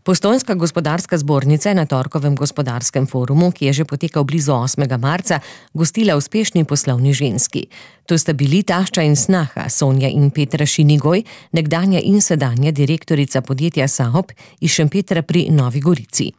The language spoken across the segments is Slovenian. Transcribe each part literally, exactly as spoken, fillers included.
Postojnska gospodarska zbornica je na torkovem gospodarskem forumu, ki je že potekal blizu osmega marca, gostila uspešni poslovni ženski. To sta bili tašča in snaha Sonja in Petra Šinigoj, nekdanja in sedanja direktorica podjetja Saop iz Šempetra pri Novi Gorici.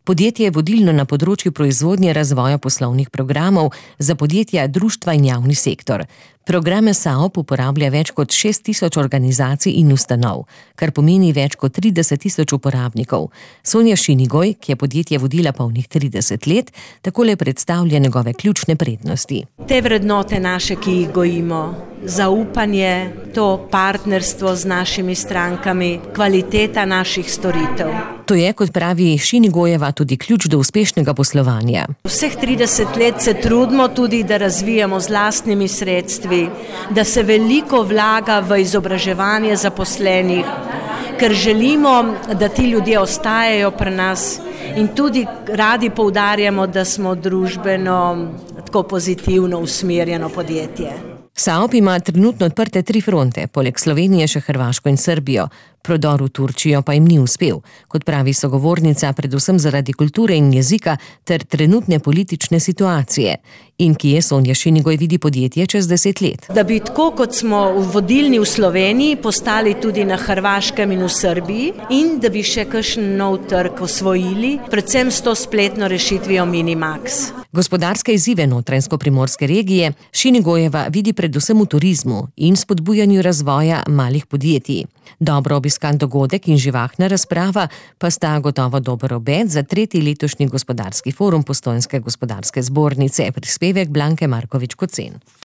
Podjetje je vodilno na področju proizvodnje razvoja poslovnih programov za podjetja, društva in javni sektor. Programe Saop uporablja več kot šest tisoč organizacij in ustanov, kar pomeni več kot trideset tisoč uporabnikov. Sonja Šinigoj, ki je podjetje vodila polnih trideset let, takole predstavlja njegove ključne prednosti. Te vrednote naše, ki jih gojimo, zaupanje, to partnerstvo z našimi strankami, kvaliteta naših storitev. To je, kot pravi Šinigojeva, tudi ključ do uspešnega poslovanja. Vseh trideset let se trudimo tudi, da razvijamo z lastnimi sredstvi, da se veliko vlaga v izobraževanje zaposlenih, ker želimo, da ti ljudje ostajajo pri nas in tudi radi poudarjamo, da smo družbeno tako pozitivno usmerjeno podjetje. Saop ima trenutno odprte tri fronte, poleg Slovenije še Hrvaško in Srbijo. Prodor v Turčijo pa jim ni uspel, kot pravi sogovornica, predvsem zaradi kulture in jezika ter trenutne politične situacije. In kje Sonja Šinigoj vidi podjetje čez deset let? Da bi tako, kot smo vodilni v Sloveniji, postali tudi na Hrvaškem in v Srbiji in da bi še kakšen nov trg osvojili, predvsem s to spletno rešitvijo Minimax. Gospodarske izzive notranjsko-primorske regije Šinigojeva vidi predvsem v turizmu in spodbujanju razvoja malih podjetij. Dobro obiskan dogodek in živahna razprava pa sta gotovo dober obet za tretji letošnji gospodarski forum Postojnske gospodarske zbornice, prispevek Blanke Markovič Kocen.